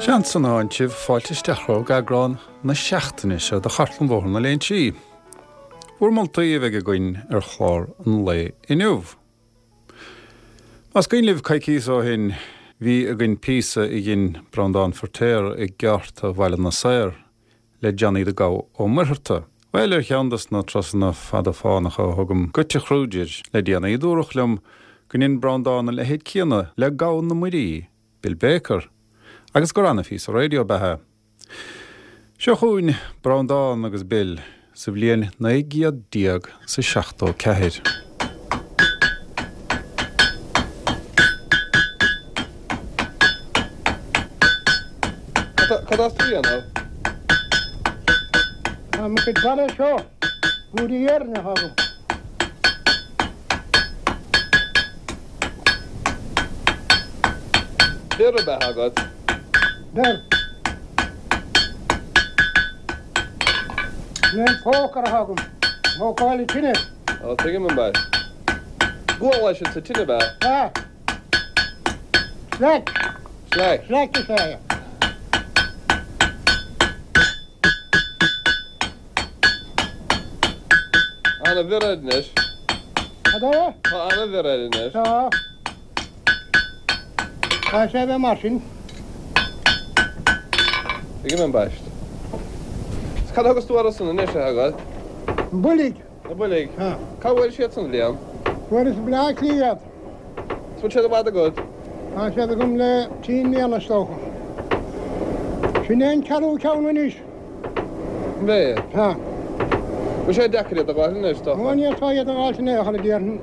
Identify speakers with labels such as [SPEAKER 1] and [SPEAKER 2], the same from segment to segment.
[SPEAKER 1] Seans an áintimh fáilte isteach romhaibh go eagrán na seachtaine seo de Chartlann Bhóthar na Léinsí. Bhur moltaí a bheidh againn ar chlár an lae inniu. Más cuimhin libh coicíos ó shin bhí againn píosa a dhein Breandán Feirtéar i gceárta Bhaile na Saor le Johnny the Gabha Ó Muircheartaigh. Bhuel, ar cheann dos na turasanna fada fánacha a thugaim go Tigh Kruger le déanaí, dúradh liom go ndein Breandán a leithéid céanna le Gabha na Muirí, Bill Baker, agus gur ana-phíosa raidió ab ea é. Seo chugainn Breandán agus Bill sa bhliain 19 74.
[SPEAKER 2] Cad atá tú a dhéanamh?
[SPEAKER 3] Tá mo chuid barra seo, búdaí iarainn atá agam.
[SPEAKER 2] Bior ab ea agat?
[SPEAKER 3] Bior. Sin é an pócar atá agam. Thógáil an tine.
[SPEAKER 2] Ó, tuigim ambaist. Gual é sin sa tine, ab ea?
[SPEAKER 3] Sea. Slaic.
[SPEAKER 2] Slaic.
[SPEAKER 3] Slaic is ea é.
[SPEAKER 2] Ana-bhior air anois.
[SPEAKER 3] Cad é?
[SPEAKER 2] Tá ana-bhior air anois.
[SPEAKER 3] Tá. Caithfidh sé a bheith mar sin.
[SPEAKER 2] Tuigim ambaist. Is cad a thugas tú orthu san anois, a Sheaghail?
[SPEAKER 3] Na boilg.
[SPEAKER 2] Na boilg?
[SPEAKER 3] Tá.
[SPEAKER 2] Cá bhfuair siad san, a Liam?
[SPEAKER 3] Fuaireas i mBleá Cliath iad.
[SPEAKER 2] Is bhfuil siad i bhfad agat?
[SPEAKER 3] Tá siad agam le trí mbliana is dócha. Sin é an ceathrú ceann anois.
[SPEAKER 2] An é?
[SPEAKER 3] Tá.
[SPEAKER 2] Bhfuil sé deacair iad a dh'fháil anois, is dócha?
[SPEAKER 3] Ó, ní tá iad a dh'fháilt in aon chor, a déarfainn.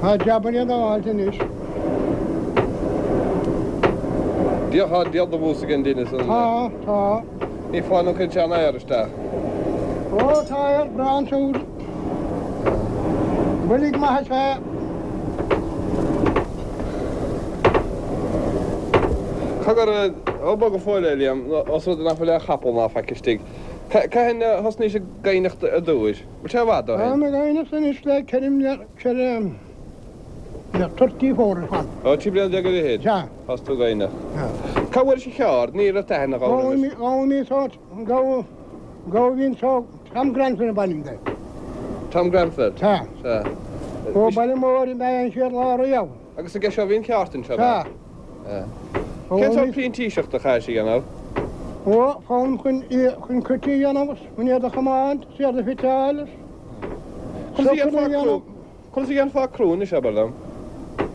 [SPEAKER 3] Tá jabanna iad a dh'fháilt anois.
[SPEAKER 2] Dia, tá diabhal de bhús ag an dtine san.
[SPEAKER 3] Tá, tá.
[SPEAKER 2] Ní fáil nó cuireann sé an aer isteach.
[SPEAKER 3] Ó, tá aer breá ansiúd. Boilg maith is ea.
[SPEAKER 2] Cogar, ó bog go fóill é, Liam, os rud é nach bhfuil aon chapall ná faic istigh. Cathain a thosnaís ag gaibhneacht ar dtúis? Bhfuil sé i bhfad ó shin?
[SPEAKER 3] Táim ag gaibhneacht anois le ceithre mbliana, ceithre, 34 ar fad.
[SPEAKER 2] Ó, 13 bliana ar fhichid?
[SPEAKER 3] Sea.
[SPEAKER 2] Thosaigh tú ag gaibhneacht.
[SPEAKER 3] Sea.
[SPEAKER 2] Cá bhfuairis an cheárd? Ní raibh aithne agam
[SPEAKER 3] roimis. Gabhaimid sórt, gabha, gabha a bhí anseo, Tom Grenfell ab ainm dó.
[SPEAKER 2] Tom Grenfell?
[SPEAKER 3] Sea.
[SPEAKER 2] Sea.
[SPEAKER 3] Ó Baile Móir ab ea an chéad lá riamh.
[SPEAKER 2] Agus aige seo a bhí an cheárd anseo, ab ea?
[SPEAKER 3] Sea.
[SPEAKER 2] Cén sórt printíseachta a chaithis a dhéanamh?
[SPEAKER 3] Ó, foghlaim chun, chun cruite a dhéanamh, chun iad a chomáint, is iad a fiteáil, is
[SPEAKER 2] Conas a
[SPEAKER 3] socanna
[SPEAKER 2] dhéanfá
[SPEAKER 3] a
[SPEAKER 2] crú?
[SPEAKER 3] dhéanamh.
[SPEAKER 2] Conas a dhéanfá crú anois, abair liom?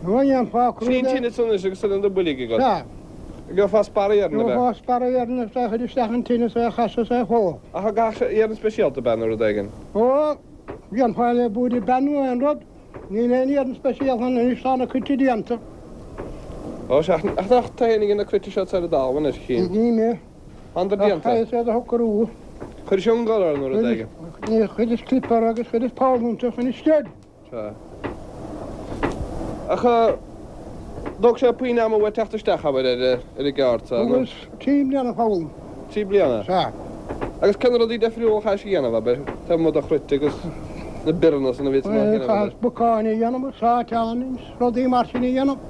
[SPEAKER 3] Ó, dhéanfá crú
[SPEAKER 2] Sin í an
[SPEAKER 3] le.
[SPEAKER 2] tine san anois agus sin na boilg agat.
[SPEAKER 3] Sea.
[SPEAKER 2] Gheofá sparra iarainn, ab ea?
[SPEAKER 3] Gheofá sparra iarainn agus é a chur isteach an tine is é a chasadh is é a shó.
[SPEAKER 2] Ach an gcaithfeadh sé iarann speisialta, ab ea, nó rud éigin?
[SPEAKER 3] Ó, dhéanfá le búird bean nó aon rud. Níl aon iarann speisialta ann anois, tá na cruite déanta.
[SPEAKER 2] Ó, sea, ach nach tú féin a dhein na cruite seo ar an dtalamh anois, a chinn?
[SPEAKER 3] Ní mé.
[SPEAKER 2] Thánadar déanta.
[SPEAKER 3] Ach chaithfeas iad a shocrú.
[SPEAKER 2] Chuiris iongal orthu nó rud éigin.
[SPEAKER 3] Ní, chuireas clip orthu agus chuireas poll iontu chun isteach.
[SPEAKER 2] Sea. Ach thóg sé puinn ama uait teacht isteach, abair, ar an gceárd so, nó?
[SPEAKER 3] Thugas trí bliana foghlaim.
[SPEAKER 2] Trí bliana?
[SPEAKER 3] Sea.
[SPEAKER 2] Agus cé na rudaí deifriúla a chaithis a dhéanamh, abair, taobh amuigh de chruit agus na bioranna san a bhí tú a dhéanamh, abair?
[SPEAKER 3] Chaitheas bacáin a dhéanamh, sáiteáin agus rudaí mar sin a dhéanamh.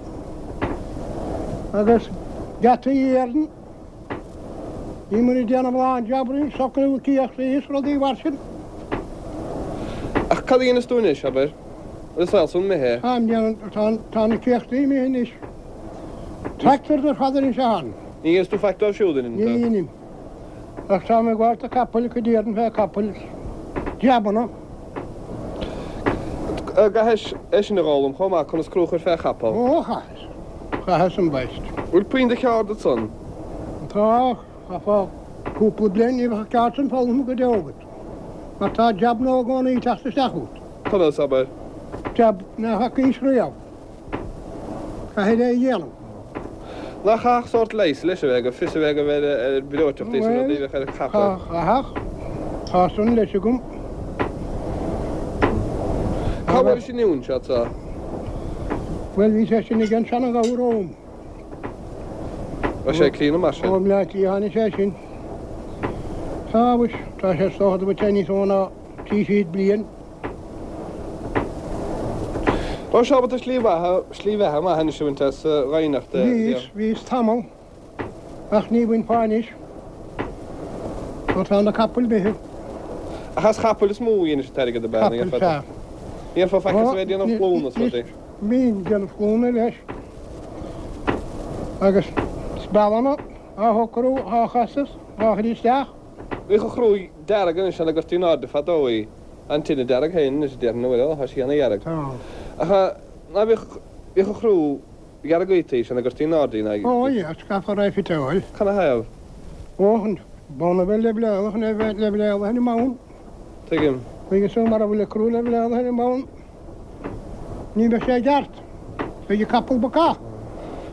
[SPEAKER 3] Agus geataí iarainn. Bhíomar ag déanamh a lán jabannaí, socrú céachtaí is rudaí mar sin.
[SPEAKER 2] Ach cad a dhéanas tú anois, abair? Bhfuil an saol san imithe?
[SPEAKER 3] Táim déanamh, tá, tá na céachtaí imithe anois. Tractors ar fad anois atá ann.
[SPEAKER 2] Ní dhéanas tú faic dóibh siúd, an
[SPEAKER 3] Ní dheinim. Ach táim ag gabháilt do capaill, cuid iarainn fé capaill, jabanna.
[SPEAKER 2] An gcaithis é sin a dh'fhoghlaim chomh maith, conas crú a chur fé chapall?
[SPEAKER 3] Ó, chaitheas. Chaitheas ambaist.
[SPEAKER 2] Bhfuil puinn de cheárd ansan?
[SPEAKER 3] Tá, chaithfeá cúpla bliain, ní bheadh an ceárd san foghlamtha go deo agat. Mar tá jab nua i gcónaí ag teacht isteach chugat.
[SPEAKER 2] Conas, abair?
[SPEAKER 3] Jab nach bhfacaís riamh. Caithfidh é a dhéanamh.
[SPEAKER 2] Nach chaithfeadh sórt leighis leis a bheith agat, fios a bheith agat ar breoiteachtaí is rudaí a bheadh ar chapall?
[SPEAKER 3] Bhuel, chaithfeadh. Tá san leis agam.
[SPEAKER 2] Cá bhfuairis an uain seo so?
[SPEAKER 3] Bhuel, bhí sé sin ag an seana-ghabha romham.
[SPEAKER 2] Raibh sé críonna mar sin?
[SPEAKER 3] Ó mBleá Cliath tháinig sé sin. Tá, mhuis, tá sé is dócha go bhfuil sé níos mó ná 300 bliain.
[SPEAKER 2] Raibh sé ábalta slí bheatha, slí bheatha maith anois a bhaint as ghaibhneacht a.
[SPEAKER 3] Bhíos, bhíos tamall. Ach ní bhainfeá anois mar tá na capaill imithe.
[SPEAKER 2] Ach as chapaill is mó a dhéanais an t-airgead ab ea?
[SPEAKER 3] Capaill, sea.
[SPEAKER 2] Ní dhéanfá faic as a bheith ag déanamh cluana is rudaí.
[SPEAKER 3] Bhínn ag déanamh cluana leis. Agus spealanna á shocrú, á chasadh, á chur isteach.
[SPEAKER 2] Bhíodh an chrú dearg anois ina gcuirtí in airde fadó í. An tine dearg féin anois a déarfainn an bhfuil? Ó, tá sí ana-dhearg.
[SPEAKER 3] Tá.
[SPEAKER 2] Ach ná bhíodh, bhíodh an chrú dhearg í sin a gcuirtí in airde í ná.
[SPEAKER 3] Ó, yeah, scafa raibh fiteáil.
[SPEAKER 2] Canathaobh?
[SPEAKER 3] Ó, an bonn a bheith leibhleálach, a bheith leibhleálaithe ar an mbonn.
[SPEAKER 2] Tuigim.
[SPEAKER 3] Agus mara bhfuil an crú leibhleálaithe ar an mbonn, ní bheidh sé i gceart. Beidh an capall bacach.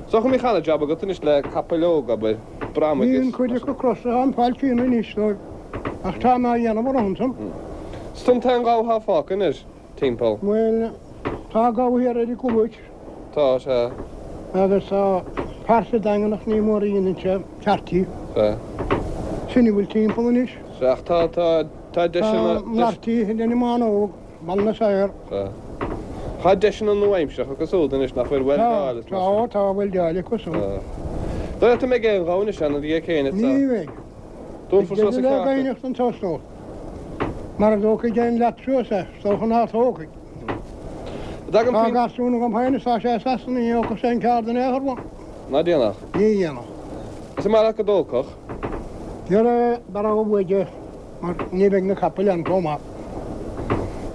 [SPEAKER 2] So go mbíodh ana-jab agat anois le capaill óga, abair, bramaigh
[SPEAKER 3] is. Bíonn cuid acu crosta, an fáiltíonn anois dóibh, ach tá mé á dhéanamh orthu ansan.
[SPEAKER 2] 'S tú an t-aon ghabha atá fágtha anois timpeall.
[SPEAKER 3] Bhuel, tá gabha thiar ar an gCluais.
[SPEAKER 2] Tá, sea.
[SPEAKER 3] Agus tá fear sa Daingean ach ní mór a dhéanann sé ceartaí.
[SPEAKER 2] Sea.
[SPEAKER 3] Sin a bhfuil timpeall anois.
[SPEAKER 2] Sea, ach tá, tá, tá deiseanna.
[SPEAKER 3] Tá Marty ag déanamh Bánóg, Baile na Saor.
[SPEAKER 2] Sea. Tá deiseanna nua-aimseartha acu súd anois nach bhfuil weildeáil
[SPEAKER 3] is mar sin. Tá, tá weildeáil acu súd.
[SPEAKER 2] Tá. Dóigh leat an mbeidh aon ghabha anois ann ina dhiaidh céin
[SPEAKER 3] Ní bheidh.
[SPEAKER 2] Dúnfar suas an
[SPEAKER 3] ceárta. Beidh deireadh le anseo is dócha. Mara dtógfaidh aon leat suas é, is dócha ná tógfaidh. Tá garsún agam féin is tá sé i Sasana, ní thógfadh sé an ceárd in aon chor uaim.
[SPEAKER 2] Ná déanfadh?
[SPEAKER 3] Ní dhéanfadh.
[SPEAKER 2] Is an maith leat go dtógfadh?
[SPEAKER 3] Dhera, b'fhearr uaidh é, mar ní bheidh na capaill ann chomh maith.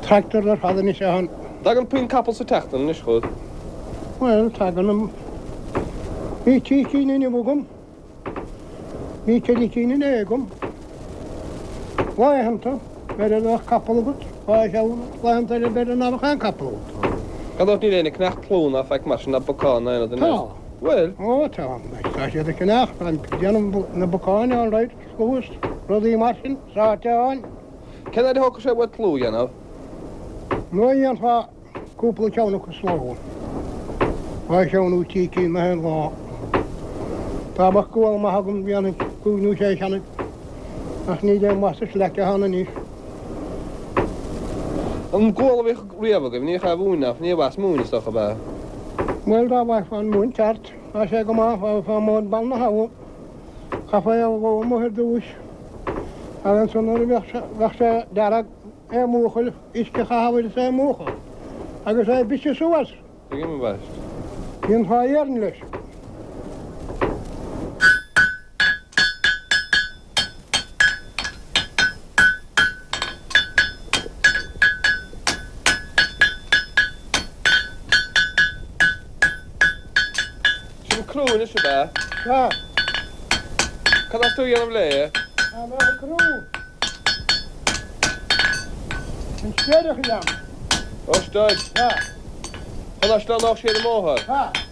[SPEAKER 3] Tractor ar fad anois ann.
[SPEAKER 2] Tagann puinn capall sa tseachtain anois chugat?
[SPEAKER 3] Bhuel, tagann. Bhí trí cinn inniu agam. Bhí ceithre cinn inné agam. Laethanta, b'fhéidir go mbeadh capall agat, dhá cheann, laethanta eile b'fhéidir ná beadh aon capall agat.
[SPEAKER 2] Gan dabht níl éinne ag ceannacht tlú ná faic mar sin ná bacáin ná aon rud
[SPEAKER 3] anois. Tá.
[SPEAKER 2] Bhfuil?
[SPEAKER 3] Ó tá. Tá siad ag ceannacht, tá ag déanamh na bacáin all right, sluas, rudaí mar sin, sáiteáin.
[SPEAKER 2] Cén fhaid a thógfadh sé uait tlú a dhéanamh?
[SPEAKER 3] Nuair a dhéanfá Cúpla ceann acu sa ló. Dhá cheann nó trí cinn na haon lá. Dá mbeadh gual maith agam dhéanfainn cúig nó sé cheann ach níl aon mhaith sa slaic atá ann anois.
[SPEAKER 2] An gual a bhíodh riamh agaibh, ní bhíodh aon mhóin ach ní raibh as móin is dócha, ab ea?
[SPEAKER 3] Bhuel dá bhfaighfeá an mhóin ceart, tá sé go maith, dá bhfaighfeá móin Bhaile na hAbha, chaithfeá é a dhó amuigh ar dtúis agus ansan nuair a bheadh sé dearg, É a mhúchadh, uisce a chaitheamh air is é a mhúchadh agus é a bhriseadh suas.
[SPEAKER 2] Tuigim ambaist.
[SPEAKER 3] Dhéanfá iarn leis.
[SPEAKER 2] Sin crú anois ab ea?
[SPEAKER 3] Sea.
[SPEAKER 2] Cad atá tú a dhéanamh léi?
[SPEAKER 3] Tá mé ag crú. An sceideach a dhéanamh.
[SPEAKER 2] Ó, stad.
[SPEAKER 3] Sea.
[SPEAKER 2] Chun nach sleamhnódh sí ar an mbóthar.
[SPEAKER 3] Sea.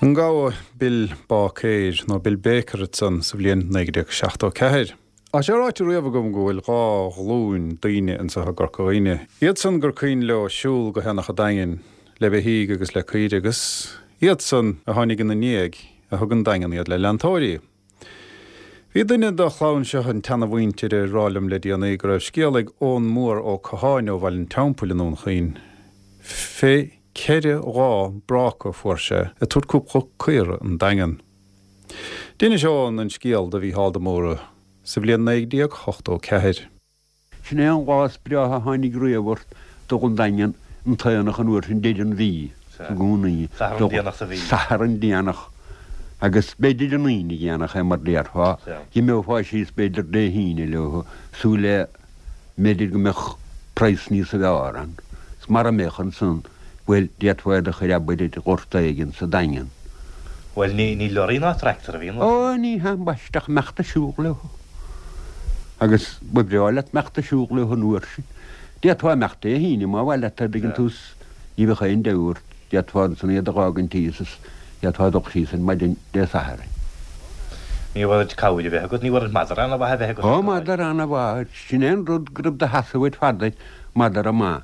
[SPEAKER 1] An gabha Bill Báicéir, nó Bill Baker ansan sa bhliain 1974. Tá sé ráite riamh agam go bhfuil dhá ghlúin daoine anseo i gCorca Dhuibhne. Iadsan gur cuimhin leo siúl go hAonach an Daingin le beithígh agus le caoirigh agus iadsan a tháinig ina ndiaidh a thug an Daingean iad le leantóirí. Bhí duine de chlann seo an tseana-mhuintir ag rá liom le déanaí go raibh scéal ag Eoghan Mór Ó Catháin ó Bhaile an Teampaill i nDún Chaoin fé cheithre dhá bráca a fuair sé ag tabhairt cúpla caora an Daingean. D'inis Eoghan an scéal do Mhícheál de Mórdha sa bhliain 1984.
[SPEAKER 4] Sin é an lá is breátha a tháinig riamh ort dul 'on Daingean an t-aonach an uair sin deireadh an mhí i gcónaí.
[SPEAKER 5] Satharn déanach sa mhí.
[SPEAKER 4] Satharn déanach. Agus b'fhéidir an Aoine dhéanach é mar déarfá. Dh'imeofá síos b'fhéidir Dé hAoine leo, súil le B'fhéidir go mbeadh praghas níosa bhfearr ann. 'S mara mbeadh ansan, bhuel, d'fhéadfá iad a chur abair ar ghort éigin sa Daingean.
[SPEAKER 5] Bhuel, ní, ní lorry ná tractor a bhí ann.
[SPEAKER 4] Ó, ní hea ambaiste ach imeacht ag siúl leo. Agus ba bhreá leat imeacht ag siúl leo an uair sin. D'fhéadfá imeacht Dé hAoine má mhaith leat, an dtuigeann tú, 's ní bheadh aon deabhadh ort. D'fhéadfá ansan iad a dh'fhágaint thíos is d'fhéadfá dul síos ar maidin Dé Sathairn.
[SPEAKER 5] Ní raibh ort cabhair a bheith agat, ní raibh ort madra ana-mhaith a bheith agat.
[SPEAKER 4] Ó, madra ana-mhaith, sin é an rud go raibh do sheasamh uait fada air, madra maith.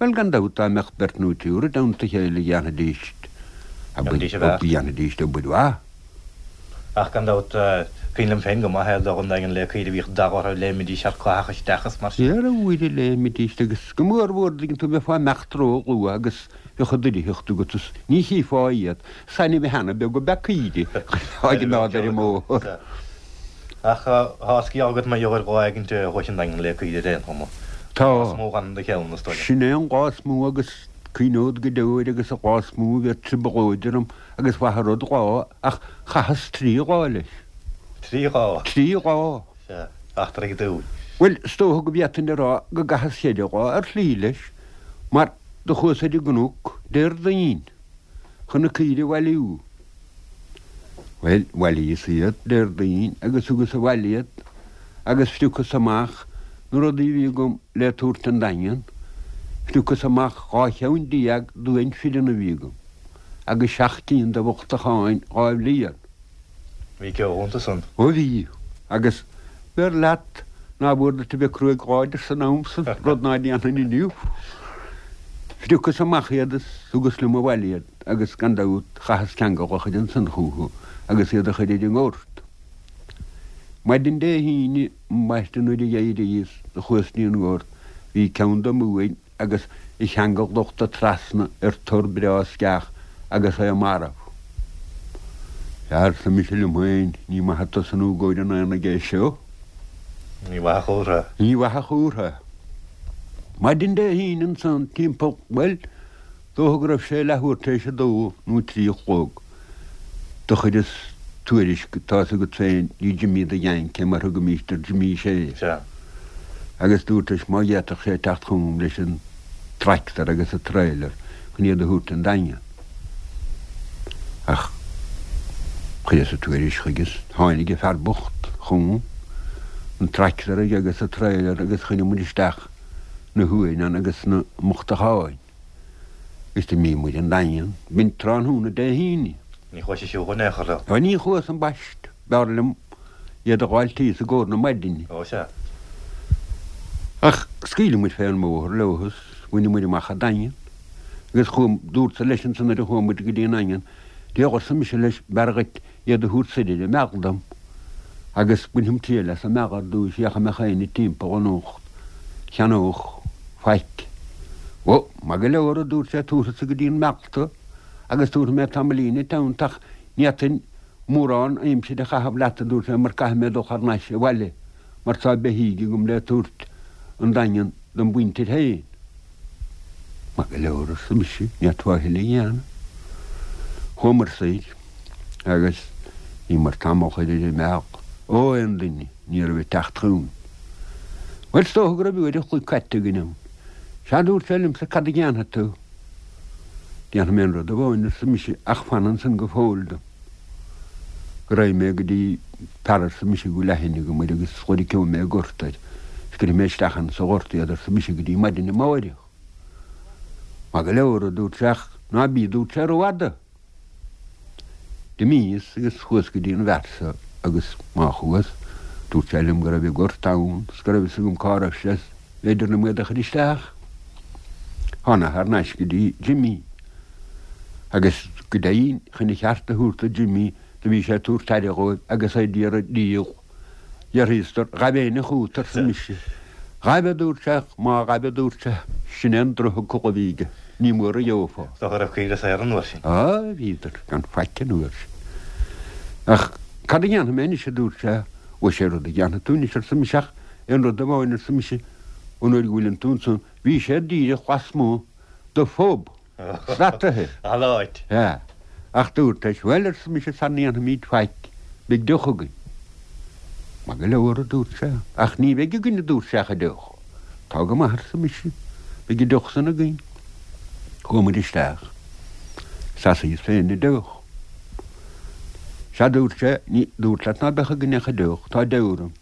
[SPEAKER 4] Bhuel, gan dabht, dá mbeadh beirt nó triúr i dteannta a chéile dhéanfaidís,
[SPEAKER 5] Dhéanfaidís a bheart.
[SPEAKER 4] dhéanfaidís obair mhaith.
[SPEAKER 5] Ach gan dabht, cuimhin liom féin go maith é, dul 'on Daingean le caoirigh, bhíodh dath orthu, léimidís ar caitheadh isteach is mar sin.
[SPEAKER 4] Dhera, a Mhuire, léimidís agus go mór mhór, dtuigeann tú, bheifeá ag imeacht ró-luath agus bheadh an oireacht agat is ní chífeá iad. Is ainmhithe ana-bheag ab ea caoirigh á gcimeád ar an mbóthar.
[SPEAKER 5] Ach tá sciath agat mar gheall ar lá éigint a chuais 'on Daingean le caoirigh ar aon chuma.
[SPEAKER 4] Tá.
[SPEAKER 5] Lá is mó a dh'fhan i do cheann, is dóigh liom.
[SPEAKER 4] Sin é an lá is mó agus cuimhneod go deo air agus an lá is mó a bhí trioblóid orm agus mhaith an rud lá ach chaitheas trí lá leis.
[SPEAKER 5] Trí lá?
[SPEAKER 4] Trí lá.
[SPEAKER 5] Sea, eachtra ag dúil.
[SPEAKER 4] Bhuel, is dócha go bhféadfainn a rá go gcaitheas cheithre lá ar shlí leis, mar do chuas ar an gcnoc Déardaoin chun na caoirigh a bhailiú. Bhuel, bhailíos iad Déardaoin agus thugas abhaile iad agus phriocas amach na rudaí a bhí agam le tabhairt 'on Daingean, phriocas amach 12 cheann d'uain fireann a bhí agam agus seacht gcinn de bhochtacháin dhá bhliain.
[SPEAKER 5] Bhí ceo iontu san.
[SPEAKER 4] Ó bhí, agus b'fhearr leat ná b'fhuar duit a bheith cruaidh láidir san am san, rud ná déanfainn inniu. Phriocas amach iad is thugas liom abhaile iad agus gan dabht chaitheas ceangal a chur ansan chúthu agus iad a chur ar an ngort. Maidin Dé hAoine, ambaiste nuair a d'éiríos do chuas dtí an ngort, bhí ceann de m'uain agus a cheangal luchta trasna ar tor breá sceach agus é marbh. Sea, arsa mise liom féin, ní maith ag tosnú i gcomhair an aonaigh é seo.
[SPEAKER 5] Ní mhaith a chomhartha.
[SPEAKER 4] Ní mhaith a chomhartha. Maidin Dé hAoine ansan, timpeall, bhuel, Dócha go raibh sé leathuair tar éis a dó nó trí a chlog. Do chuireas tuairisc, tá's agat féin, dtí Jimí the Yank, mar thugaimíst ar Jimí Shea.
[SPEAKER 5] Sea.
[SPEAKER 4] Agus dúrt leis má d'fhéadfadh sé teacht chugam leis an tractor agus an trailer chun iad a thabhairt 'on Daingean. Ach chuireas an tuairisc chuige is tháinig an fear bocht chugam, an tractor aige agus an trailer agus chuir muid isteach na huain ann agus na mbochtacháin. Agus d'imigh muid 'on Daingean. B'in tráthnóna Dé hAoine.
[SPEAKER 5] Ní chuais ag siúl in aon chor leo.
[SPEAKER 4] Ó ní chuas ambaist. B'fhearr liom iad a dh'fháilt thíos i gcomhair na maidine.
[SPEAKER 5] Ó sea.
[SPEAKER 4] Ach scaoileadh muid fén mbóthar leo is bhaineadh muid amach an Daingean. Agus chuaigh, dúrtsa leis ansan nuair a chuaigh muid go dtí an nDaingean, D'fhéach arsa mise leis, b'fhearr dhuit iad a thabhairt soir ar an mbealach dom agus bainfeam triail as an mbealach ar dtúis féach an mbeadh éinne timpeall anocht cheannódh faic. Ó, maith go leor, a dúirt sé, tabharfadsa go dtí an mbealach tú agus tabharfaidh mé tamaillín id theannta ach ní fhéadfainn mórán aimsire a chaitheamh leat, a dúirt sé, mar caithfidh mé dul thar n-ais abhaile mar tá beithígh agam le tabhairt 'on Daingean dom mhuintir féin. Maith go leor, arsa mise, ní fhéadfá a thuilleadh a dhéanamh. Chuamar soir agus bhíomar tamall thoir ar an mbealach. Ó, aon duine, ní raibh ag teacht chugainn. Bhuel, is dócha go raibh uair an chloig caite againn ann. Sea, dúirt sé liomsa, cad a dhéanfaidh tú? Déanfaidh mé aon rud amháin, arsa mise, ach fan ansan go fóill dom. Go raghaidh mé go dtí fear arsa mise go bhfuil aithne agam air agus loirceoidh mé gort air is cuirfidh mé isteach ann sa ghort iad arsa mise go dtí maidin amáireach. Maith go leor a dúirt sé ach ná bí a dúirt sé rófhada. D'imíos agus chuas go dtí an bhfear so agus má chuas dúirt sé liom go raibh an gort ann is go raibh fhios agam cá raibh sé is b'fhéidir liom iad a chur isteach. Thána thar n-ais go dtí Jimí agus go deimhin chun a cheart a thabhairt do Jimí Do bhí sé ag tabhairt aire dhóibh agus é d'iarraidh díol. D'fhiafraíos de, Ghaibh éinne chút, arsa mise. Ghaibh, a dúirt sé, ach má ghaibh, a dúirt sé, sin é an drochfhocal a bhí aige, ní mór a gheofá.
[SPEAKER 5] Is dócha go raibh caoire saor an uair sin.
[SPEAKER 4] Á, bhíodar gan faic an uair sin. Ach cad a dhéanfaidh mé anois, a dúirt sé. Ó, sé rud a dhéanfaidh tú anois, arsa mise, ach aon rud amháin, arsa mise, an uair go bhfuileann tú ansan, bhí sé díreach lasmuigh de phub. Srataithe.
[SPEAKER 5] An áit.
[SPEAKER 4] Sea. Ach dúirt leis, Bhuel, arsa mise, sara ndéanfaimid faic, beidh deoch againn. Maith go leor, a dúirt sé. Ach ní bheidh againn, a dúirt sé, ach an deoch. Tá go maith, arsa mise, beidh an deoch san againn. Chuaigh muid isteach. Sheasaíos féin an deoch. Sea, dúirt sé, ní, dúrt leat ná beadh againn ach an deoch, tá deabhadh orm.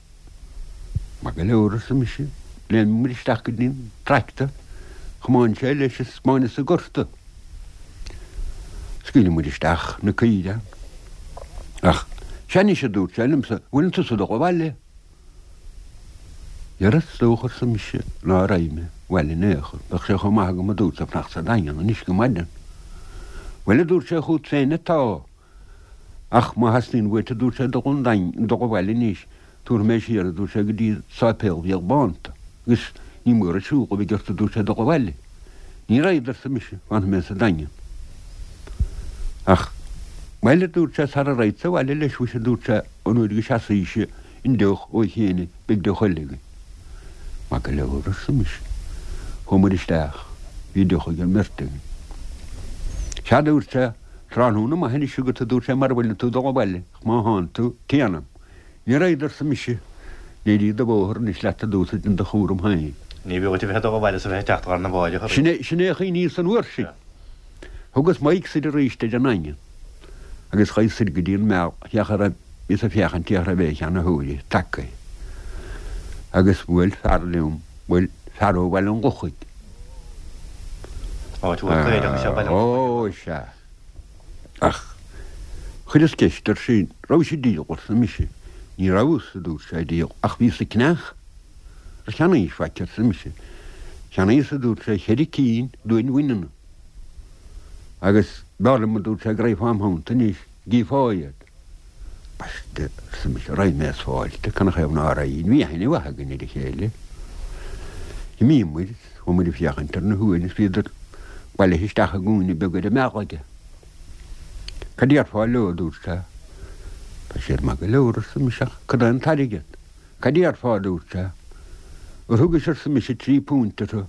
[SPEAKER 4] Maith go leor, arsa mise. Léim muid isteach go dtí an tractor. Chomáin sé leis is baineadh sa gorta. Scaoileadh muid isteach na caoire. Ach, sea anois, a dúirt sé liomsa, bhfuileann tusa ag dul abhaile? Dhera, is dócha, arsa mise, ná raghaidh mé abhaile in aon chor. Bheadh sé chomh maith agam, a dúirt sé, fanacht sa Daingean anois go maidin. Bhuel, a dúirt sé, chút féin atá. Ach má theastaíonn uait, a dúirt sé, dul 'on Daingean, dul abhaile anois, tabharfaidh mé siar, a dúirt sé, go dtí Sáipéal Mhícheál Bán tu, agus ní mór an siúl a bheidh ort, a dúirt sé, dul abhaile. Ní raghad, arsa mise, fanfaidh mé sa Daingean. Ach, bhuel, a dúirt sé, sara raghadsa abhaile leis, mhuise, a dúirt sé, an uair go seasfaidh an deoch ó chéin, beidh deoch eile againn. Maith go leor, arsa mise. Chuamair isteach. Bhí deoch ag an mbeirt againn. Sea, a dúirt sé, tráthnóna maith anois agat, a dúirt sé, mara bhfuileann tú ag dul abhaile, ach má thánn tú, téanam. Ní raghad, arsa mise. Éirigh do bhóthar anois leat, a dúirt sé, déan do chúram féin.
[SPEAKER 5] Ní bhfiú dhuit a bheith ag dul abhaile is a bheith ag teacht lá arna mháireach
[SPEAKER 4] arís. Sin é, sin é a chuimhníos an uair sin. Thugas m'aghaidh soir arís ar an nDaingean agus chuaigh soir go dtí an Meal, féach a raibh, bhíos ag féachaint féach a raibh aon cheannaitheoirí tagtha. Agus bhuail fear liom, bhuail fear ó Bhaile an Lochaigh.
[SPEAKER 5] Áit mhór caorach is ea Baile an Lochaigh.
[SPEAKER 4] Ó, sea. Ach chuireas ceist air sin, rabhais ag díol, arsa mise. Ní rabhas, a dúirt sé, ag díol, ach bhíos ag ceannach. Ar cheannaís faic, arsa mise. Cheannaíos, a dúirt sé, cheithre cinn d'uain bhaineanna. Agus b'fhearr liom, a dúirt sé, go raghfá im theannta anois, gcífeá iad. Ambaiste, arsa mise, raghaidh mé is fáilte, canathaobh ná raghainn, bhí aithne mhaith againn ar a chéile. D'imíomair, chuamair ag féachaint ar na huain is bhíodar bailithe isteach i gcúinne beag ar an mbealach aige. Cad déarfá leo, a dúirt sé. Tá siad maith go leor, arsa mise, ach cad é an t-airgead? Cad déarfá, a dúirt sé. Ar thugais, arsa mise, £3 orthu?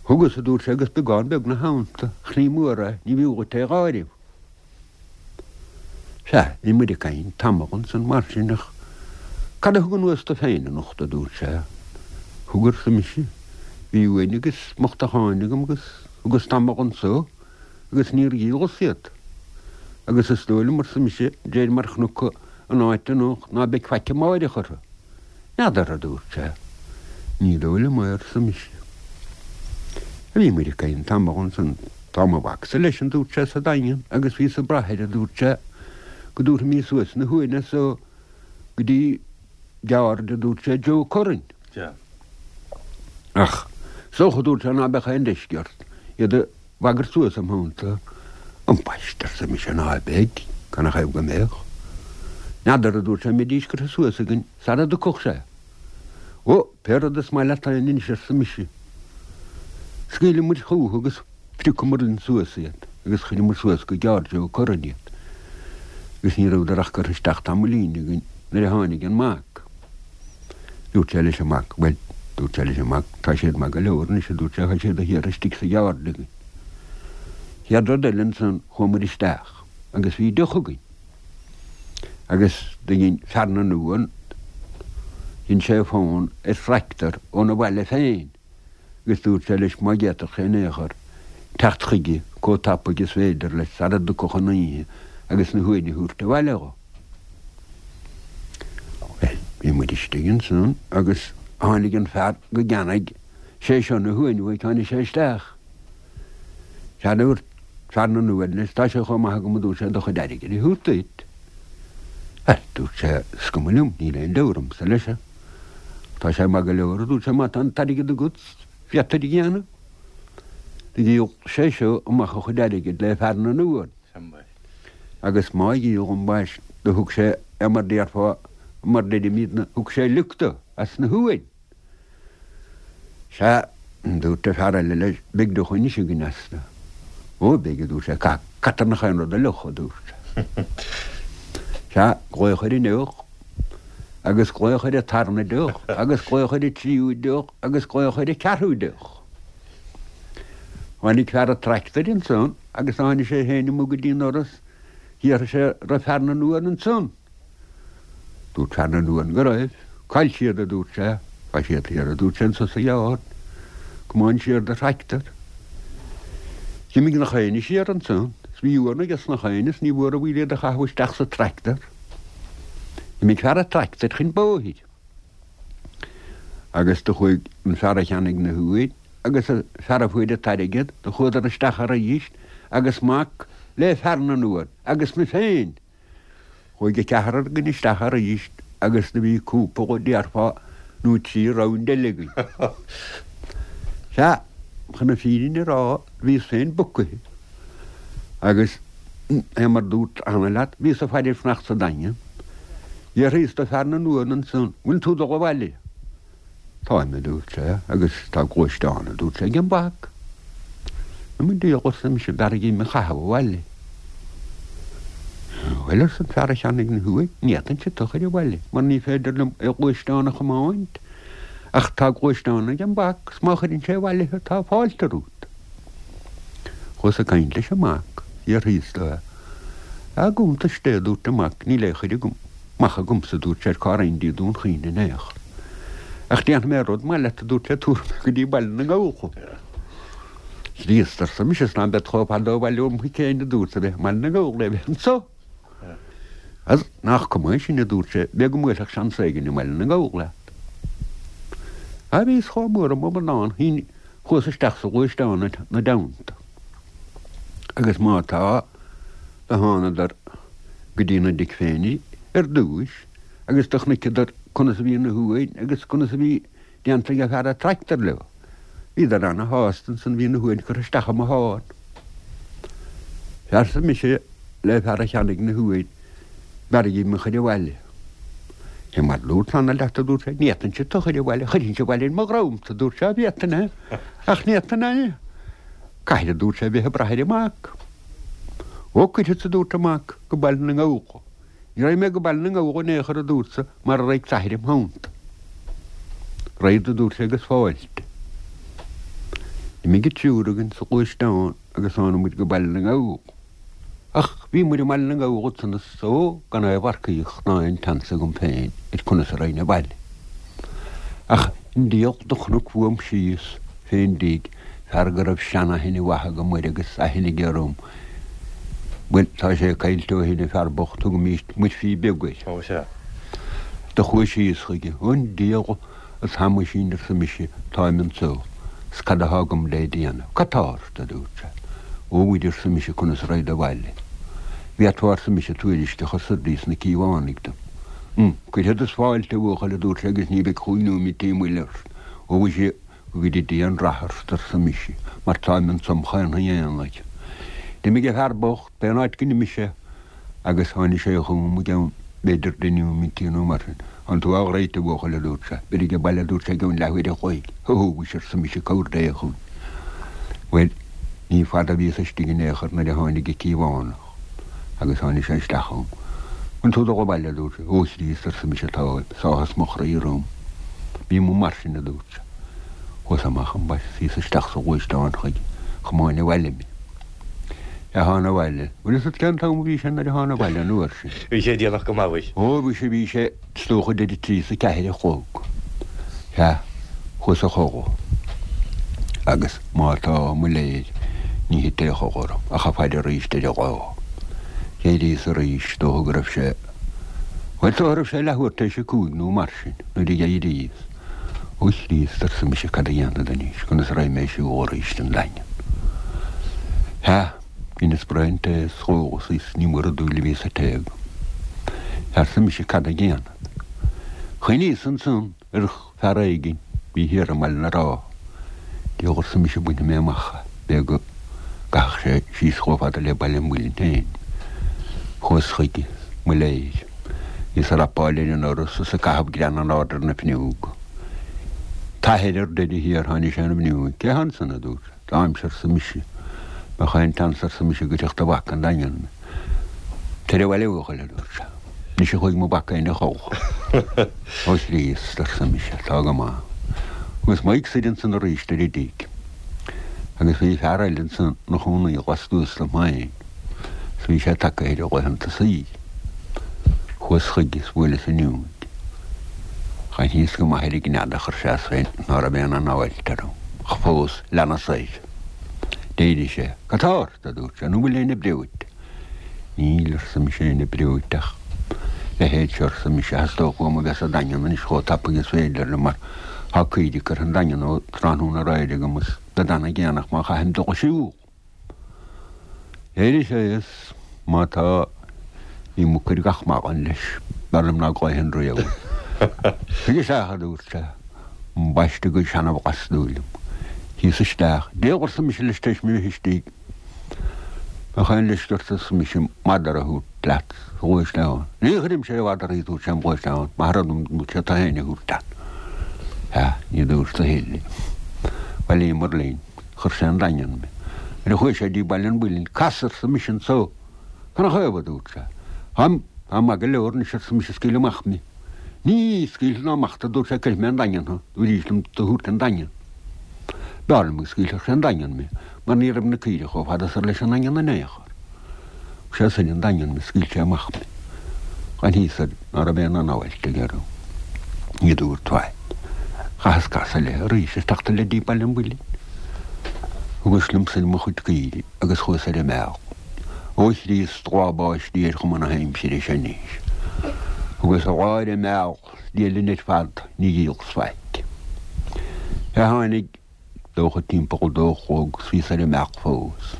[SPEAKER 4] Thugas, a dúirt sé, agus beagán beag 'na theannta, ach ní mór é, ní bhfiú dhuit é dh'áireamh. Sea, bhí muid ag caint tamall ansan mar sin ach cad a thug anuas tú féin anocht, a dúirt sé. Thug, arsa mise. Bhí uain agus muchtacháin agam agus thugas tamall anso agus níor dhíolas iad. Agus is dóigh liom, arsa mise, d'réir mar chonac an áit anocht ná beidh faic amáireach orthu. N'fheadar, a dúirt sé. Ní dóigh liom é, arsa mise. Bhí muid ag caint tamall ansan. Tá mo mhacsa leis, a dúirt sé, sa Daingean agus bhíos ag brath air, a dúirt sé, go dtabharfaimís suas na huain as so go dtí ceárd, a dúirt sé, Joe Curran. Ach is dócha, a dúirt sé, ná beadh aon leisce ort iad a bhagairt suas im theannta. Ambaiste, arsa mise, ná beidh, canathaobh go mbeadh? N'fheadar, a dúirt sé, an mbeidís curtha suas againn sara dtiocfadh sé. Ó, pé rud is maith leat féin anois, arsa mise. Scaoileadh muid chúthu agus phriocamar linn suas iad agus chuireamar suas go ceárd Joe Curran iad. Agus ní rabhadar ach curtha isteach tamaillín againn nuair a tháinig an mac. Dúirt sé leis an mac, bhuel, dúirt sé leis an mac, tá siad maith go leor anois, a dúirt sé, tá siad thiar istigh sa gceárd againn. Chéad rud eile ansan chuamair isteach agus bhí deoch againn. Agus do dhein fear na n-uan, dhein sé fón ar thractor óna bhaile féin agus dúirt sé leis má d'fhéadfadh sé in aon chor teacht chuige chomh tapaidh is féidir leis sara dtiocfadh an oíche agus na huain a thabhairt abhaile dho. Bhuel, bhí muid istigh ansan agus tháinig an fear go gceannaigh sé seo na huain uaidh, tháinig sé isteach. Sea, dúirt fear na n-uan leis, tá sé chomh maith agam, a dúirt sé, do chuid airgid a thabhairt duit. Bhuel, dúirt sé, is cuma liom, níl aon deabhadh ormsa leis. Tá sé maith go leor, a dúirt sé, má tá an t-airgead agat, féadfair a dhéanamh. Do dhíol sé seo amach a chuid airgid le fear na n-uan. Agus má dhíol ambaist do thug sé é mar déarfá, mar deirimídne, thug sé lioc do as na huain. Sea, dúirt an fear eile leis, beidh deoch anois againn astu. Ó, beidh, a dúirt sé, caitear nach aon rud a fhliuch, a dúirt sé. Sea, glaodh ar an ndeoch, agus glaodh ar an tarna deoch, agus glaodh ar an tríú deoch, agus glaodh ar an ceathrú deoch. Tháinig fear an tractair ansan agus tháinig sé féin amuigh go dtí an doras, d'fhiafraigh sé raibh fear na n-uan ansan. Dúirt fear na n-uan go raibh. Cá'il siad, a dúirt sé. Tá siad thiar, a dúirt sé, anso sa gceárd. Comáin siar do thractor. D'imigh nach éinne siar ansan. Is bhí uan aige nach éinne is ní mhór an mhoill iad a chaitheamh isteach sa tractor. D'imigh fear an tractair chun bóthair. Agus do chuaigh an fear a cheannaigh na huain agus an fear a fuair an t-airgead, do chuadar isteach arís agus mac le fear na n-uan agus mé féin. Chuaigh an ceathrar againn isteach arís agus do bhí cúpla, déarfá, nó trí round eile againn. Sea, chun na fírinne a rá, bhíos féin bucaithe agus. É mar dúrt cheana leat, bhíos ag faire ag fanacht sa Daingean. D'fhiafraíos de fear na n-uan ansan, bhfuil tú dul abhaile? Táim, a dúirt sé, agus tá gluaisteán, a dúirt sé, ag an mhac. I mo dhiaidh, arsa mise, b'fhearr dhom a chaitheamh abhaile. Bhuel, arsa an fear a cheannaigh na huain, ní fhéadfainnse tu chur abhaile, mar ní féidir liom aon ghluaisteán a chomáint, ach tá gluaisteán ag an mhac, 's má chuireann sé abhaile thu tá fáilte romhat. Chuas ag caint leis an mac, d'fhiafraíos de é. I gcuntais Dé, a dúirt an mac, níl aon chur amach agamsa, a dúirt sé, ar cá raghainn dtí Dún Chaoin in aon chor. Ach déanfaidh mé rud maith leat, a dúirt sé, tabharfaidh mé go dtí Baile na nGall thú. Chríost, arsa mise, 's ná bead chomh fada ó bhaile óm thigh féin, a dúrt, a bheith i mBaile na nGall le bheith anso. Agus nach cuma é sin, a dúirt sé, b'fhéidir go mbuailfeadh seans éigin i mBaile na nGall leat. Á, bhíos chomh mór i m'amadán, chuas isteach sa ghluaisteán ina dteannta. Agus má tá, do thánadar go dtí na dtigh féin ar dtúis agus do chonaiceadar conas a bhí na huain agus conas a bhí déanta ag fear a' tractor leo. Bhíodar ana shásta ansan bhí na huain curtha isteach i mo shán. Arsa mise le fear a cheannaigh na huain, b'fhearr dhíom a chur abhaile. Fé mar dúrt cheana leat, a dúirt sé, ní fhéadfainnse tu chur abhaile, chuirfinnse abhaile ar mo dhrom tu, dúirt sé, bhféadfainn é, ach ní fhéadfainn é. Caithfidh, a dúirt sé, bheith ag brath ar an mac. Ó, cuirfeadsa, a dúirt an mac, go Baile na nGall thu. Ní raghaidh mé go Baile na nGall in aon chor, a dúrt sa, mara raghaidh t'athair im theannta. Raghad, a dúirt sé, agus fáilte. D'imigh an triúr againn sa ghluaisteán agus tháinig muid go Baile na nGall. Ach bhí muid i mBaile na nGall ansan is ó, gan aon mharcaíocht ná aon tseans agam féin ar conas a raghainn abhaile. Ach an diabhal do chonac uaim síos fén dtigh fear go raibh seanaithne mhaith agam air agus aithne aige orm. Bhuel, tá sé caillte ó shin, an fear bocht, thugaimíst Muirfí Beag air.
[SPEAKER 5] Ó, sea.
[SPEAKER 4] Do chuas síos chuige. An diabhal A Thomáisín, arsa mise, táim anso, 's cad athá agam le déanamh? Cad tá ort? a dúirt sé. Ó, mhuire, arsa mise, conas a raghad abhaile? Bhféadfá, arsa mise, tuairisc a chur soir dtí sna Cíobhánaigh dom. Hm, cuirfead is fáilte, a bhuachaill, a dúirt sé, agus ní bheidh chúig nóimintí moill ort. Ó, mhuise, go gcuire Dia an rath ort, arsa mise, mar táim anso im chaonfaí aonair. D'imigh an fear bocht, pén áit go n-imigh sé, agus tháinig sé chugam i gceann b'fhéidir deich nóimintí nó mar sin. Tánn tú alright, a bhuachaill, a dúirt sé. Beir age baile, a dúirt sé, i gceann leathuair a chloig. Hó, mhuise, arsa mise, cabhair Dé chugainn. Bhuel, ní fada a bhíos istigh in aon chor nuair a tháinig an Cíobhánach agus tháinig sé isteach chugam. An tú dul abhaile, a dúirt sé. Ó, a Chríost, arsa mise, táim, 's áthas mo chroí orm. Bí amuigh mar sin, a dúirt sé. Chuas amach ambaist, bhíos isteach sa ghluaisteán chuige, chomáin abhaile mé. A thána abhaile. Bhfuil fhios agat cén t-am a bhí sé nuair a thána abhaile an uair sin?
[SPEAKER 5] Bhí sé déanach go maith, bhí.
[SPEAKER 4] Ó, bhí sé, bhí sé, is dócha idir a trí is a ceathair a chlog. Sea, chuas a chodladh. Agus má tá, mo léir, ní thit aon chodladh orm ach ag faire arís ar an lá. D'éiríos arís, is dócha go raibh sé, bhuel, is dócha go raibh sé leathuair tar éis a cúig nó mar sin nuair a d'éiríos. Ó a Chríost, arsa mise, cad a dhéanfad anois, conas a raghaidh mé ag siúl arís an Daingean? Sea, dheineas braon tae is dh'ólas is ní mór an dúil a bhí sa tae agam. Arsa mise, cad a dhéanfad? Chuimhníos ansan ar fear éigin bhí thiar i mBaile na Rátha. Diabhal arsa mise, bainfidh mé amach é, b'fhéidir go gcaithfeadh sé síos chomh fada le Baile an Mhuilinn féin. Chuas chuige, mo léir. Bhíos ag rapáil ar an ndoras is ag caitheamh grean in airde ar na fuinneoga. T'athair ar deireadh thiar, tháinig sé an bhfuinneoig. Cé hé ansan, a dúirt sé. Táimse, arsa mise. Bheadh aon tseans, arsa mise, go dtiocfadh do mhac an Daingean mé. Tar abhaile, a bhuachaill, a dúirt sé. Anois a chuaigh mo mhac féin a chodladh. Ó Chríost, arsa mise, tá go maith. Agus m'aghaidh soir ansan arís ar an dtigh. Agus bhí fear eile ansan 'na chónaí lastuas liom féin. 's bhí sé tagtha ar a laethanta saoil. Chuas chuige is bhuaileas an fhuinneoig. D'aithníos go maith ar an gcnead a chuir sé as féin ná raibh aon anáil orm, ach fós leanas air. D'éirigh sé. Cad tá ort? a dúirt sé, nó bhfuil éinne breoite? Níl, arsa mise, éinne breoite ach leithéid seo, arsa mise, theastódh uaim a bheith sa Daingean anois chomh tapaidh is féidir liom mar tá caoirigh curtha an Daingean ó tráthnóna aréir agam is bead ana-dhéanach má chaithim dul ag siúl. D'éirigh sé is má tá bhí muc ar gach maidin leis, b'fhearr liom ná glaofainn riamh air. Tig isteach, a dúirt sé, ambaiste go seana-bhlastúil liom. Shuíos isteach. Diabhal arsa mise leis tar éis mé bheith istigh. Bheadh aon leisce ort arsa mise madra a thabhairt leat sa ghluaisteán. Ní chuirimse aon mhadra ag tabhairt sem ghluaisteán, maith rud dom dúirt sé tú féin a thabhairt leat. Sea, ní dúirt a thuilleadh. Bhailíomar linn. Chuir sé an Daingean mé. Nuair a chuaigh sé dtí Baile an Mhuilinn, Cas arsa mise anso. Canathaobh, a dúirt sé. Táim, táim maith go leor anois arsa mise scaoil amach mé. Ní scaoilfidh ná amach tú a dúirt sé cuirfidh mé an Daingean thú, dúirt liom tú a thabhairt an Daingean. B'fhearr liom go scaoilfeadh sé an Daingean mé, mar ní raibh na caoirigh chomh fada soir leis an nDaingean in aon chor. Thug sé soir an Daingean mé, scaoil sé amach mé. Ghan thíos air ná raibh aon anáilt aige orm. Ní dúirt faic. Chaitheas casadh eile arís is teacht le dtí Baile an Mhuilinn. Thugas liom soir mo chuid caoirigh agus chuas ar an mbealach. Ó a Chríost, lá báistí ar chuma na haimsire seo anois. Thugas lá ar an mbealach Dia linn ar fad, ní dhíolas faic. Sea, tháinig dócha timpeall a dó a chlog 's bhíos ar an mbealach fós.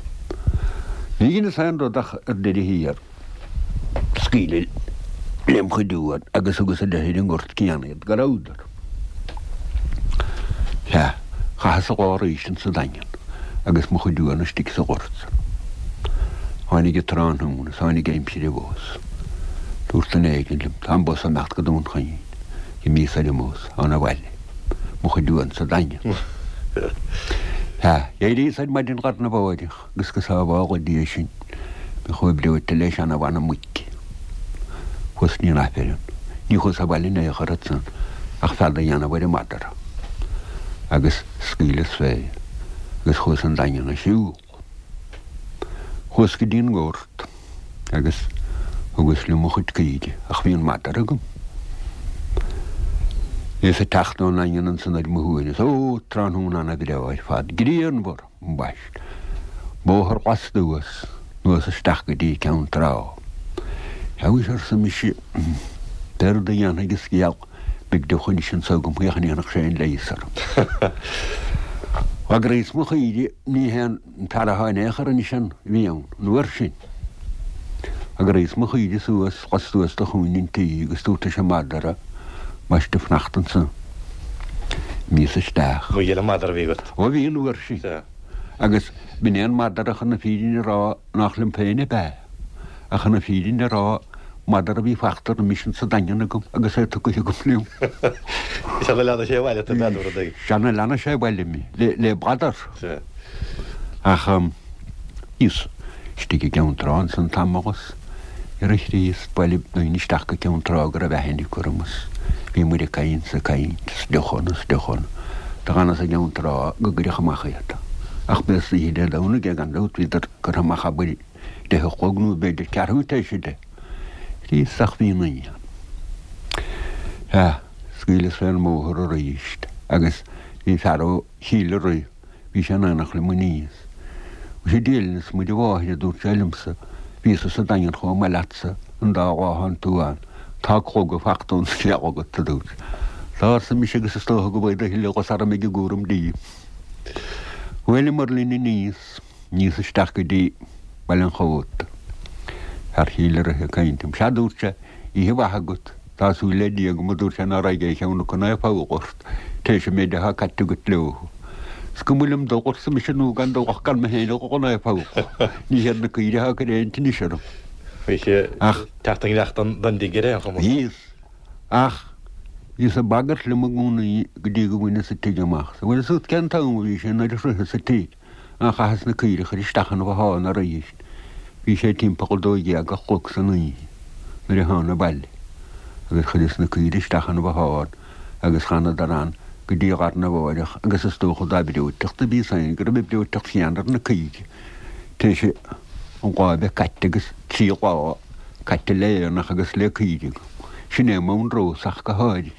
[SPEAKER 4] Ní dheineas aon rud ach ar deireadh thiar scaoileadh lem chuid uan agus thugas ar an ngort céanna iad go rabhadar. Sea, chaitheas an lá arís insa Daingean agus mo chuid uan istigh sa ghort san. Tháinig an tráthnóna is tháinig aimsir an bhus. Dúirt duine éigin liom, Tá an bus ag imeacht go Dún Chaoin. D'imíos ar an mbus, chun an bhaile. Mo chuid uan sa Daingean. Sea, d'éiríos ar maidin lá arna mháireach agus go sábhála Dia sinn, mé chomh breoite le seana-mhanam muice. Chuas dtí an Aifreann. Ní chuas abhaile in aon chor ansan ach fead a dhéanamh ar an madra. Agus scaoileas fé agus chuas an Daingean a shiúl. Chuas go dtí an ngort agus thugas liom mo chuid caoirigh ach bhí an madra agam. Bhíos ag teacht ón nDaingean ansan ar mo shuaimhneas. Ó, tráthnóna ana-bhreá ar fad, grianmhar, ambaist. Bóthar lastuas, anuas isteach go dtí Ceann Trá. Sea, arsa mise, pé rud a dhéanfaidh an scéal, beidh deoch anois anso agam féach an ndéanfadh sé aon leigheas orm. D'fhograíos mo chaoirigh, ní hé an fear atá in aon chor anois ann a bhí ann an uair sin. D'fhograíos mo chaoirigh suas lastuas de chúinne an tí agus dúrt leis an madra ambaiste fanacht anso. D'imíos isteach.
[SPEAKER 5] Mo ghile madra a bhí agat.
[SPEAKER 4] Ó bhí an uair sin.
[SPEAKER 5] Sea.
[SPEAKER 4] Agus b'in é an madra chun na fírinne a rá nach liom féin ab ea. Ach chun na fírinne a rá, madra a bhí fachta roimis insa Daingean agam agus é tugtha agam liom.
[SPEAKER 5] Is ea, leanadh sé abhaile tú, b'fheadar rud éigin.
[SPEAKER 4] Sea, leanadh sé abhaile mé, le bladar.
[SPEAKER 5] Sea.
[SPEAKER 4] Ach bhíos istigh i gCeann Trá ansan tamall is ar a Chríost, bhailigh daoine isteach go Ceann Trá go raibh aithne acu orm is bhí muid ag caint is ag caint is deoch ann is deoch ann. Do dh'fhanas i gCeann Trá go gcuirfeadh amach iad. Ach b'é oíche Dé Domhnaigh é gan dabht, bhíodar curtha amach abair 10 a chlog nó b'fhéidir ceathrú tar éis 10. Chríost ach bhí an oíche. Sea, scaoileas fén mbóthar aríst agus bhí fear ó Chill Rí, bhí sé in éineacht liom aníos. Mhuise Dia linn is Muire Mháthair, a dúirt sé liomsa, bhíosa sa Daingean chomh maith leatsa an dá lá a thánn tú ann. Tá clogadh fachta ón scéal agat, a dúirt sé. Tá, arsa mise, agus is dócha go bhfaighidh a thuilleadh orm ag an gcúram díom. Bhuaileamar linn aníos. Aníos isteach go dtí Baile an Chóta. Fear Chill Rithe ag caint liom. Sea, dúirt sé, oíche mhaith agat. Tá súil le Dia agam, a dúirt sé, ná raghaidh aon cheann acu ná foghla ort, tar éis an méid atá caite agat leo. Is cuma liom dul, arsa mise, nó gan dul ach gan mé féin a dhul chun foghla. Ní hiad na caoirigh atá ag cur aon tinnis orm.
[SPEAKER 5] Bhí sé ag teacht i ngeilleacht don dtigh ar aon chuma.
[SPEAKER 4] Bhíos. Ach bhíos ag bagairt liom i gcónaí go dtí go bhaineas an tigh amach. Bhuel, is út cén t-am a bhí sé nuair a shroicheas an tigh. Ach chaitheas na caoirigh a chur isteach ina bhothán arís. Bhí sé timpeall 12 a chlog san oíche nuair a thána abhaile agus chuireas na caoirigh isteach ina bhothán agus dh'fhanadar ann go dtí lá arna mháireach agus is dócha dá breoiteacht a bhíos féin go raibh an breoiteacht chéanna ar na caoirigh tar éis an lá a bheith caite agus 3 lá caite le aonach agus le caoirigh. Sin é m'anrós ach go háirithe.